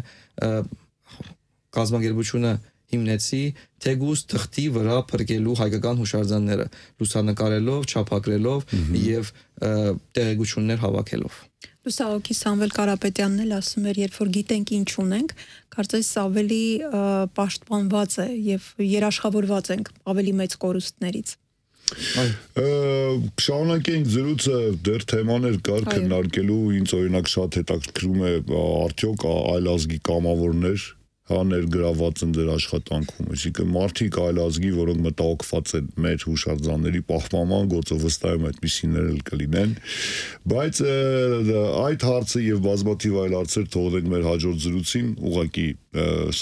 կազմակերպությունը հիմնեցի թեգուս թղթի վրա փրկելու հայկական հուշարձանները, լուսանկարելով, չափագրելով եւ տեղեկություններ հավաքելով։ Լուսահոգի Սամվել Կարապետյանն էլ ասում էր, երբ որ գիտենք ինչ ունենք, կարծես ավելի պաշտպանված է եւ երաշխավորված ենք ավելի մեծ կորուստներից։ Շարունակենք զրույցը դեռ թեմաներ կար քննարկելու, ինձ օրինակ շատ հետաքրքրում է արդյոք այլազգի կամավորներ ներգրաված են դեր աշխատանքում, այսինքն մարդիկ այլ ազգի, որոնք մտահոգված են մեր հուշարձանների պահպանման գործով վստահ եմ այդպիսիներ էլ կլինեն, բայց այդ հարցը եւ բազմաթիվ այլ հարցեր թողնենք մեր հաջորդ զրույցին, ուղղակի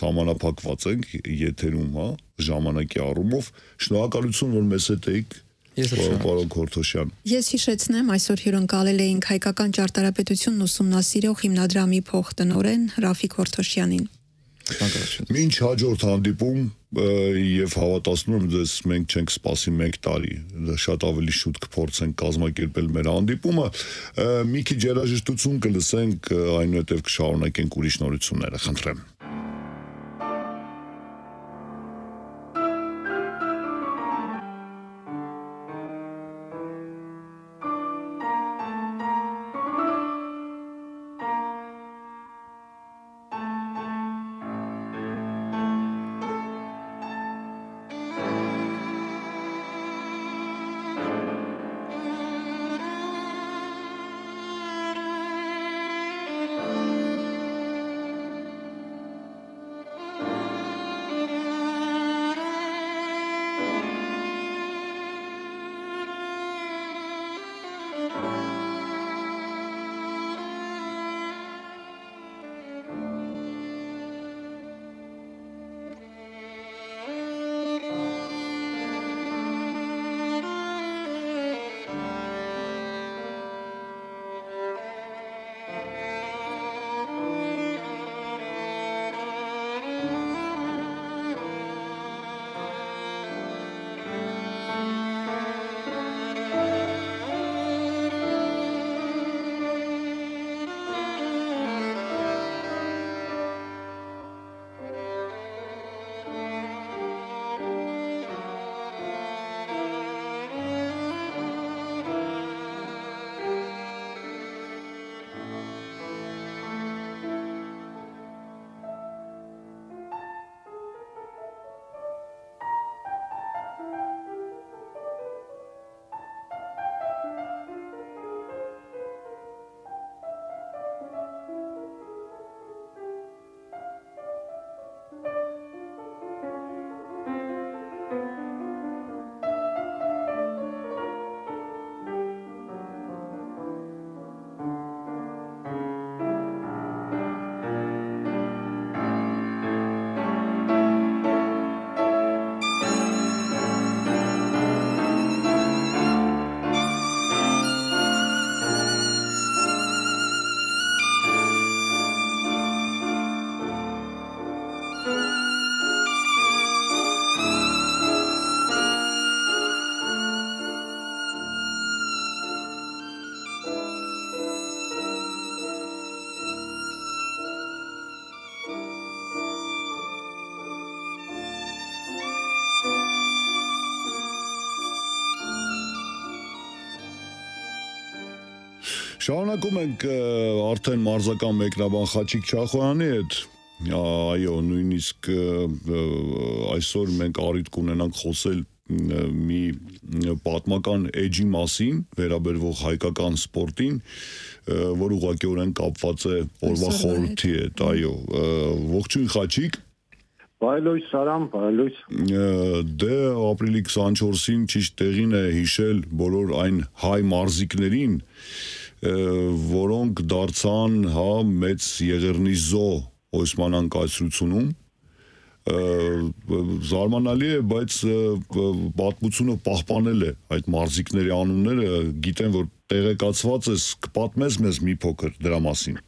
սահմանափակված ենք եթերում, հա, ժամանակի առումով, շնորհակալություն որ մեզ հետ եք Պարոն Քորթոշյան։ Ես հիշեցնեմ, այսօր հյուրընկալել էինք հայկական ճարտարապետությունն ուսումնասիրող հիմնադրամի փոխտնօրեն Ռաֆիկ Քորթոշյանին։ Մինչ հաջորդ հանդիպում եւ հավատացնում եմ ձեզ մենք չենք սպասի 1 տարի շատ ավելի շուտ կփորձենք կազմակերպել մեր հանդիպումը մի քիչ երաժշտություն կլսենք այնուհետեւ կշարունակենք ուրիշ նորությունները խնդրեմ Շարունակում ենք արդեն մարզական մեկնաբան Խաչիկ Չախոյանի հետ։ Այո, նույնիսկ այսօր մենք առիթ կունենանք խոսել մի պատմական էջի մասին, վերաբերվող հայկական սպորտին, որ ուղղակիորեն կապված է օրվա խորհրդի հետ, այո։ Ողջույն Խաչիկ։ Բարելույս Սարամ, բարելույս։ Դե ապրիլի 24-ին ճիշտ տեղին է հիշել բոլոր այն հայ մարզիկներին, որոնք դարձան մեծ Եղեռնի զո Օսմանյան կայսրությունում, զարմանալի է, բայց պատմությունը պահպանել է այդ մարզիկների անունները, գիտեմ, որ տեղեկացված ես, կպատմես մեզ մի փոքր դրա մասին։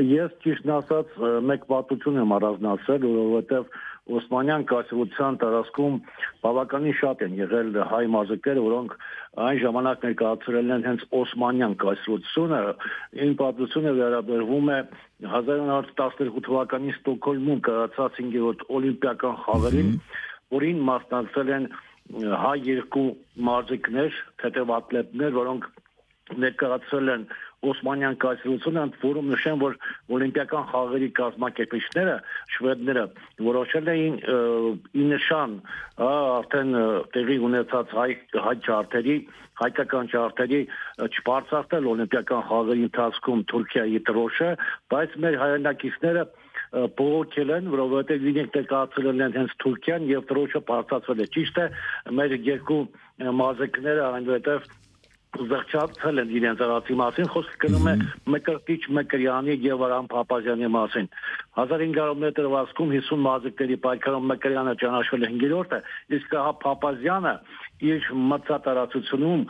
Ես ճիշտն ասած մեկ պատմություն եմ առանձնացրել, որովհետև Օսմանյան կայսրության տարածքում բավականին շատ են եղել հայ մարզիկներ, որոնք այն ժամանակ ներկայացրել են հենց Օսմանյան կայսրությունը։ Այն պատմությունը վերաբերվում է 1912 թվականի Ստոկհոլմում կայացած 5-րդ օլիմպիական խաղերին, որին մասնակցել են հայ երկու մարզիկներ, թեթևատլետներ, որոնք ներկայացրել են Օսմանյան կայսրությունը, որում նշեմ, որ օլիմպիական խաղերի կազմակերպիչները, շվեդները, որոշել էին ի նշան արդեն տեղի ունեցած հայկական չարտերի չբարձրացնել օլիմպիական խաղերի ընթացքում Թուրքիայի դրոշը, բայց մեր հայրենակիցները բողոքել են, որովհետև իրենք ներկայացրել են հենց Թուրքիան եւ դրոշը բարձրացվել է։ Ճիշտ է, մեր երկու մարզիկները այնուհետև զղջացել են իրենց արածի մասին, խոսքը գնում է Մկրտիչ Մկրյանի եւ Արամ Փափազյանի մասին։ 1500 դրվածքում 50 մարզիկների պայքարում Մկրյանը ճանաչվել է 5-րդը, իսկ Փափազյանը իր մրցատարածությունում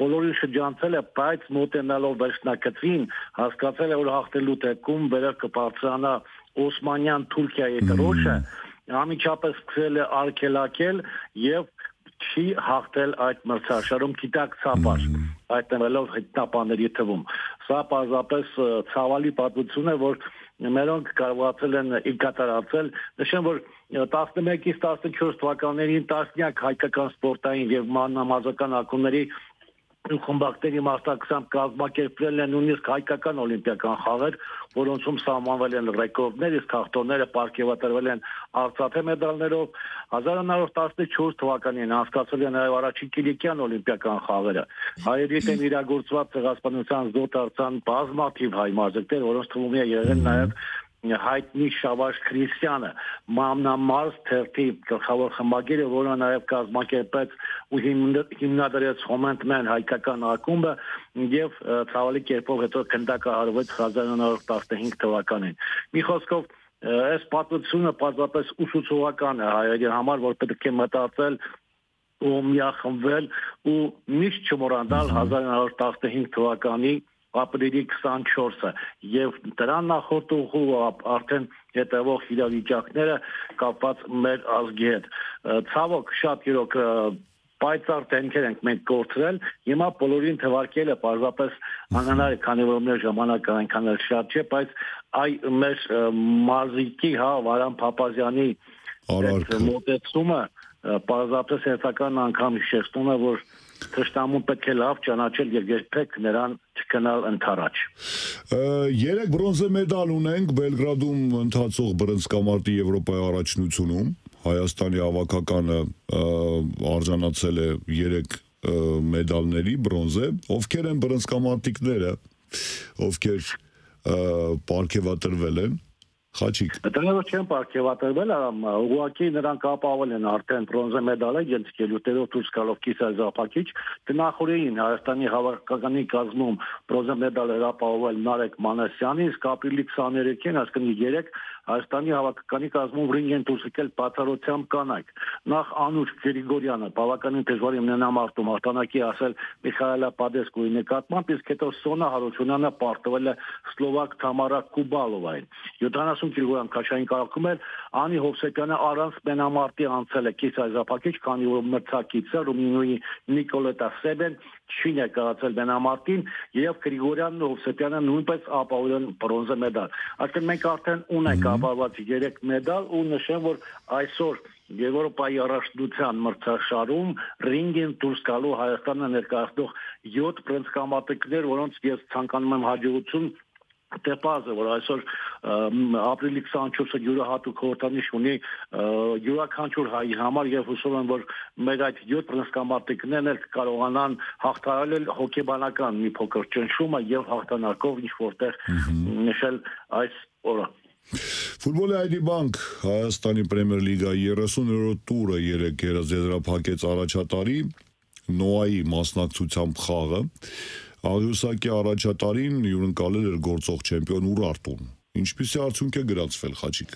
բոլորին շրջանցել է, բայց մոտենալով վերջնակցին հասկացել է, որ հաղթելու դեպքում վերև կբարձրանա Օսմանյան Թուրքիայի դրոշը, անմիջապես սկսել է արգելակել եւ չի հաղթել այդ մրցաշարում գիտակցաբար, հայտնվելով հետնաբանների թվում։ Սա պարզապես ցավալի պատմություն է, որ մերոնք կարողացել են կատարածել։ Նշեմ, որ 11-ից 14 թվականներին տասնյակ հայկական սպորտային եւ մանրամասնական ակումբների խմբակների մասնակցությամբ կազմակերպվել են նույնիսկ հայկական օլիմպիական խաղեր, որոնցում սահմանվել են ռեկորդներ, իսկ հաղթողները պարգևատրվել են արծաթե մեդալներով։ 1914 թվականին անցկացվել են նաև առաջին Կիլիկյան օլիմպիական խաղերը։ Հայերի դեմ իրագործված ցեղասպանության զոհ դարձան բազմաթիվ հայ մարզիկներ, որոնց թվում է եղել նաև հայտնի Շավարժ Քրիստյանը, Մամնամարզ թերթի գլխավոր խմբագիրը, որը նաև կազմակերպեց ու հիմնադրեց Հոմենտմեն հայկական ակումբը եւ ցավալի կերպով հետո քննարկահարվեց 1915 թվականին։ Մի խոսքով, այս պատմությունը պարզապես ուսուցողական է հայերի համար, որ պետք է մտածել ու միախմբվել ու միշտ չմոռանալ 1915 թվականի ապրիլի 24-ը եւ դրան նախորդող արդեն հետևող իրավիճակները կապված մեր ազգի հետ։ Ցավոք շատ իրոք պայծառ դեմքեր ենք մենք կորցրել, հիմա բոլորին թվարկելը պարզապես անհնար է, քանի որ մեր ժամանակը այնքան էլ շատ չէ, բայց մեր մարզիկի Վարան Փափազյանի մոտեցումը պարզապես հերթական անգամ հիշեցնում է, որ թշնամուն պետք է լավ ճանաչել եւ երբեք նրան չգնալ ընդառաջ։ 3 բրոնզե մեդալ ունենք Բելգրադում ընթացող բռնցքամարտի Եվրոպայի առաջնությունում։ Հայաստանի հավաքականը արժանացել է 3 մեդալների բրոնզե։ Ովքեր են բռնցքամարտիկները, ովքեր պարգևատրվել են։ Խաչիկ։ Դրանով չեն պարգևատրվել, ուղղակի նրանք ապահովել են արդեն բրոնզե մեդալը, ելույթներով դուրս գալով կիսազապակիչ, գնահատեին Հայաստանի հավաքականի կազմում բրոնզե մեդալ ապահովել Նարեկ Մանասյանի, իսկ ապրիլի 23-ին, այսինքն 3 Հայաստանի հավաքականի կազմում ռինգ են դուրս եկել բացառությամբ կանայք։ Նախ Անուշ Գրիգորյանը բավականին դժվար իմնամարտում հաղթանակի ասել Միխայելա Պադեսկոյի նկատմամբ, իսկ հետո Սոնա Հարությունյանը պարտվել է սլովակ Թամարա Կուբալովային։ 70 կիլոգրամ քաշային կարգում էր Անի Հովսեփյանը առանց մենամարտի անցել է կիսազապակիչ, քանի որ մրցակիցը Ռումինիայի Նիկոլետա Սեբեն չի ներկայացել մենամարտին եւ Գրիգորյանն ու Հովսեփյանը նույնպես ապահովել բրոնզե մեդալ։ Այսինքն մենք արդեն ունենք ապահոված 3 մեդալ ու նշեմ, որ այսօր Եվրոպայի առաջնության մրցաշարում ռինգին դուրս գալու Հայաստանը ներկայացնող 7 բրոնզկամարտիկներ, որոնց ես ցանկանում եմ հաջողություն Տեպազը, որ այսօր ապրիլի 24-ը յուրահատուկ խորհրդանիշ ունի յուրաքանչյուր հայի համար եւ հուսով եմ, որ մեր այդ 7 բրոնզկամարտիկներն էլ կարողանան հաղթահարել հոկեբանական մի փոքր ճնշումը եւ հաղթանակով ինչ որտեղ նշել այս օրը։ Ֆուտբոլի ID Bank Հայաստանի Պրեմիեր լիգայի 30-րդ տուրը երեկ եզրափակեց առաջատարի Նոայի մասնակցությամբ խաղը։ Աղյուսակի առաջատարին հյուրընկալել էր գործող չեմպիոն Ուրարտուն։ Ինչպիսի արդյունք է գրանցվել, Խաչիկ։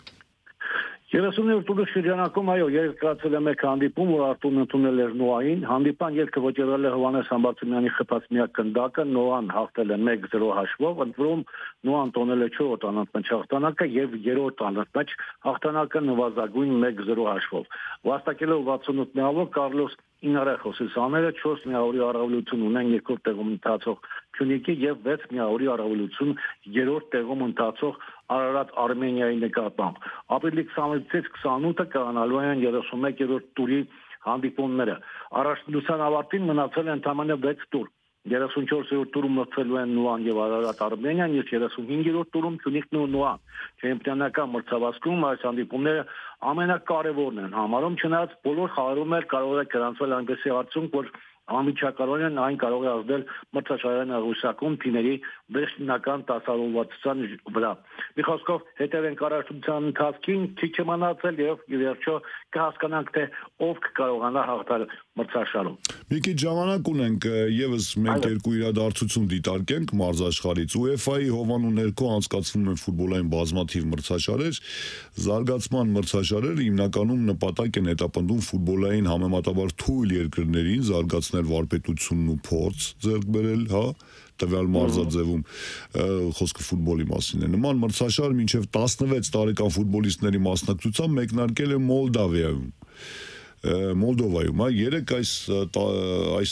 30-րդ տուրի շրջանակում այո, երկրացել է մեկ հանդիպում, որ Արտուրն ընդունել էր Նոային։ Հանդիպան ելքը վճռել է Հովհաննես Համբարձումյանի խփած միակ գնդակը, Նոան հաղթել է 1-0 հաշվով, ընդ որում Նոան տոնել է 4-րդ անընդմեջ հաղթանակը եւ 3-րդ անընդմեջ հաղթանակը նվազագույն 1-0 հաշվով։ Վաստակելով 68 միավոր Կարլոս Ինարեխոսի սաները 4 միավորի առավելություն ունեն երկրորդ տեղում ընթացող Փյունիկի եւ 6 միավորի առավելություն երրորդ տեղում ընթացող Արարատ Արմենիայի նկատմամբ։ Ապրիլի 26-ից 28-ը կայանալու են 31-րդ տուրի հանդիպումները։ Առաջնության ավարտին մնացել է ընդամենը 6 տուր։ 34-րդ տուրում մրցելու են Նուան եւ Արարատ Արմենիան, իսկ 35-րդ տուրում Թունիկն ու Նուան։ Չեմպիոնական մրցավազքում այս հանդիպումները ամենակարևորն են համարում, չնայած բոլոր խաղերում էլ կարող է գրանցվել այնպիսի արդյունք, որ անմիջականորեն այն կարող է ազդել մրցաշարային աղյուսակում թիմերի վերջնական տասավորվածության վրա։ Մի խոսքով հետևենք առաջնության ընթացքին, քիչ է մնացել եւ ի վերջո կհասկանանք, թե ով կկարողանա հաղթել մրցաշարում։ Մի քիչ ժամանակ ունենք, եւս մենք երկու իրադարձություն դիտարկենք մարզաշխարհից։ UEFA-ի հովանու ներքո անցկացվում են ֆուտբոլային բազմաթիվ մրցաշարեր, զարգացման մրցաշարերը հիմնականում նպատակ են հետապնդում ֆուտբոլային համեմատաբար թույլ երկրներին զարգացնել վարպետությունն ու փորձ ձեռք բերել, հա, տվյալ մարզաձևում խոսքը ֆուտբոլի մասին է։ Նման մրցաշար մինչև 16 տարեկան ֆուտբոլիստների մասնակցությամբ մեկնարկել է Մոլդովայում, երեք այս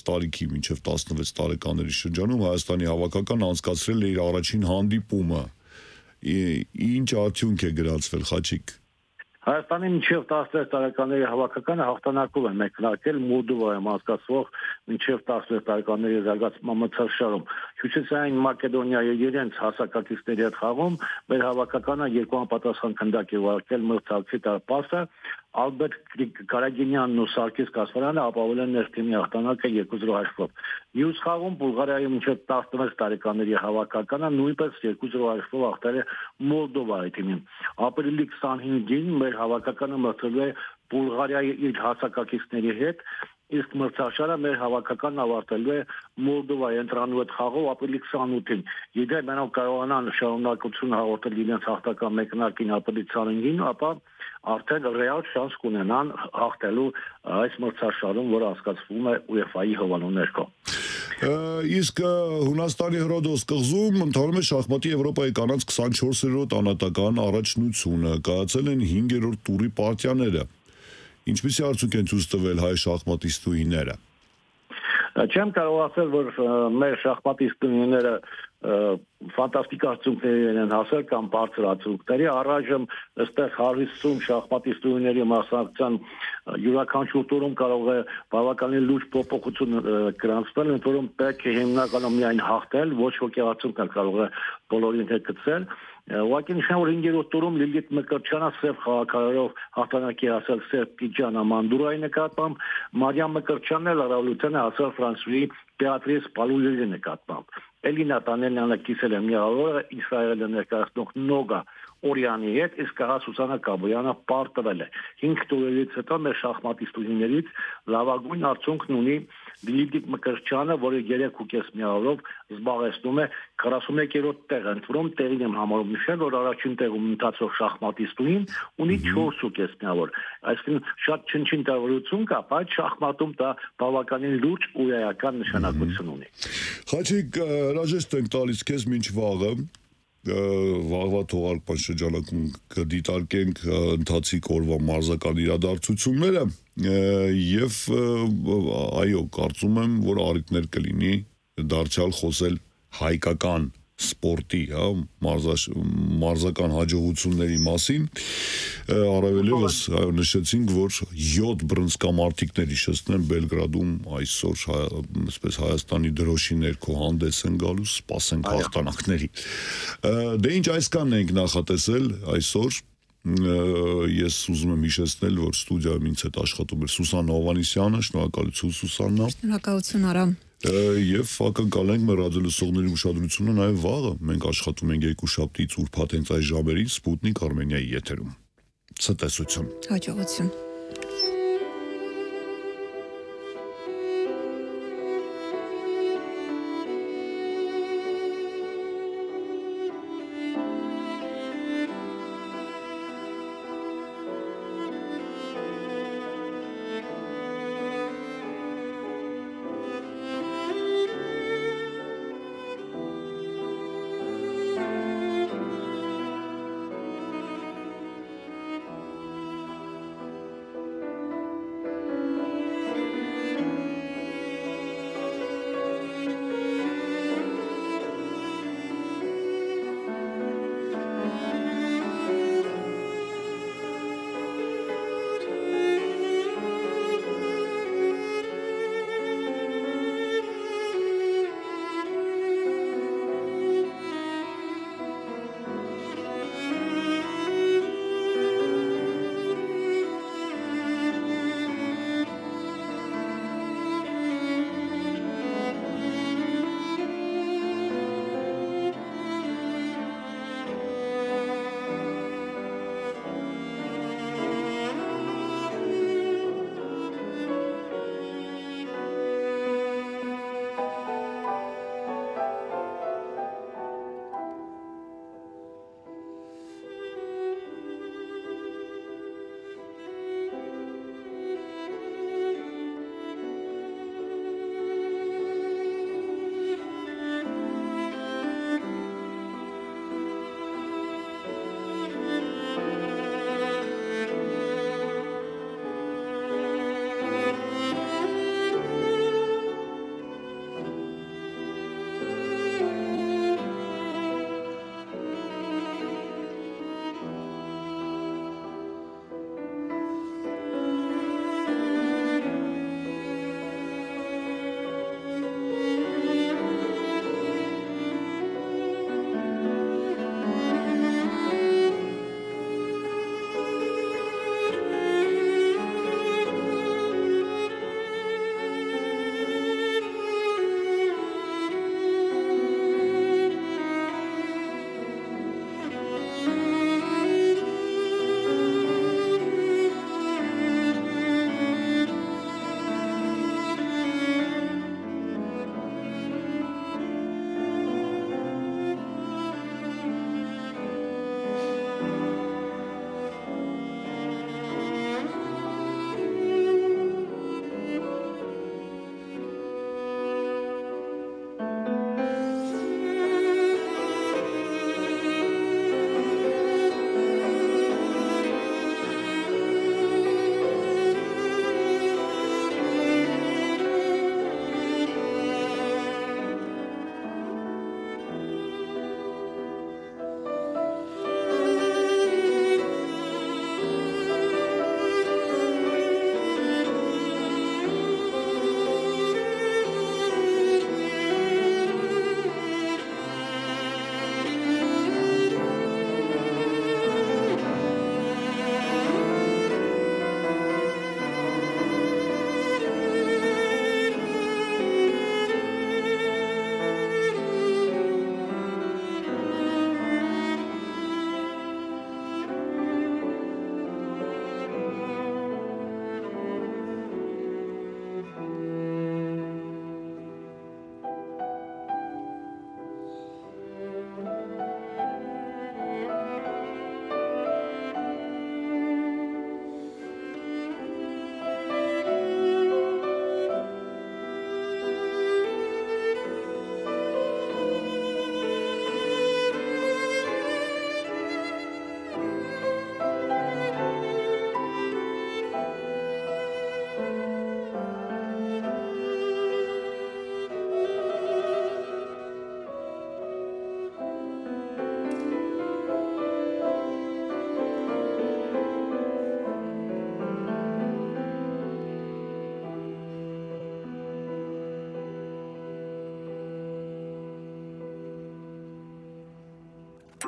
տարիքի մինչև 16 տարեկանների շրջանում Հայաստանի հավաքական անցկացրել է իր առաջին հանդիպումը։ Ինչ արդյունք է գրանցվել, Խաչիկ։ Հայաստանի մինչև 16 տարեկանների հավաքականը հաղթանակով է մեկնարկել Մոլդովայում անցկացվող մինչև 16 տարեկանների զարգացման մրցաշարում։ Հյուսիսային Մակեդոնիայի իրենց հասակակիցների հետ խաղում մեր հավաքականը 2 անպատասխան քանդակ է վարակել մրցակցի տարպասը, Ալբերտ Կարագինյանն ու Սարգիս Կասպարյանը ապահովել են ներքին հաղթանակը 2-0 հաշվով։ Մյուս խաղում Բուլղարիայի մինչև 16 տարեկանների հավաքականը նույնպես 2-0 հաշվով հաղթել է Մոլդովայի թիմին։ Ապրիլի 25-ին մեր հավաքականը մրցել է Բուլղարիայի իր հասակակիցների հետ, իսկ մրցաշարը մեր հավաքականն ավարտելու է Մոլդովայի ընտրանու հետ խաղով ապրիլի 28-ին։ Եթե նրանք կարողանան շարունակություն հաղորդել իրենց հաղթական մեկնարկին ապրիլի 25-ին, ապա արդեն ռեալ շանս կունենան հաղթելու այս մրցաշարում, որը անցկացվում է UEFA-ի հովանու ներքո։ Իսկ Հունաստանի Հրոդոս կղզում ընթանում է շախմատի Եվրոպայի կանանց 24-րդ անհատական առաջնությունը, կայացել են 5-րդ տուրի պարտիաները։ Ինչպիսի արդյունք են ցույց տվել հայ շախմատիստուհիները։ Չեմ կարող ասել, որ մեր շախմատիստուհիները ֆանտաստիկ արդյունքների են հասել կամ բարձր արդյունքների, առայժմ այստեղ 150 շախմատիստուհիների մասնակցության յուրաքանչյուր տուրում կարող է բավականին լուրջ փոփոխություն գրանցվել, ընդ որում պետք է հիմնականում միայն հաղթել, ոչ ոքի արդյունքը կարող է բոլորին հետ գցել։ Ուղղակի նշեմ, որ 5-րդ տուրում Լիլիթ Մկրտչյանը սև խաղաքարերով հաղթանակի հասել Սերպիջան Ամանդուրայի նկատմամբ, Մարիամ Մկրտչյանն էլ առավելության է հասել ֆրանսուհի Բեատրիս Պալուլերի նկատմամբ։ Էլինա Տանելյանը կիսել է միավորը Իսրայելը ներկայացնող Նոգա Օրյանի հետ, իսկ հա Սուսանա Կաբոյանը պարտվել է։ 5 տուրերից հետո մեր շախմատիստուհիներից լավագույն արդյունքն ունի Լիլիթ Մկրտչյանը, որը 3.5 միավորով զբաղեցնում է 41-րդ տեղը, ընդ որում տեղին եմ համարում նշել, որ առաջին տեղում ընթացող շախմատիստուհին ունի 4.5 միավոր։ Այսինքն շատ չնչին տարբերություն կա, բայց շախմատում դա բավականին լուրջ ու էական նշանակություն ունի։ Խաչիկ, հրաժեշտ ենք տալիս քեզ մինչ վաղը։ վաղվա թողարկման շրջանակում կդիտարկենք ընթացիկ օրվա մարզական իրադարձությունները եւ այո, կարծում եմ, որ առիթներ կլինի դարձյալ խոսել հայկական սպորտի, հա, մարզական հաջողությունների մասին, առավելևս նշեցինք, որ 7 բռնցքամարտիկներ հիշեցնեմ Բելգրադում այսօր այսպես Հայաստանի դրոշի ներքո հանդես են գալու, սպասենք հաղթանակների։ Դե ինչ այսքանն ենք նախատեսել այսօր։ Ես ուզում եմ հիշեցնել, որ ստուդիայում ինձ հետ աշխատում էր Սուսաննա Հովհաննիսյանը, շնորհակալություն Սուսաննա։ Շնորհակալություն Արամ։ Եվ ակնկալենք մեր ռադիոլսողների ուշադրությունը նաև վաղը։ Մենք աշխատում ենք երկուշաբթից ուրբաթ հենց այս ժամերին Սպուտնիկ Արմենիայի եթերում։ Ցտեսություն։ Հաջողություն։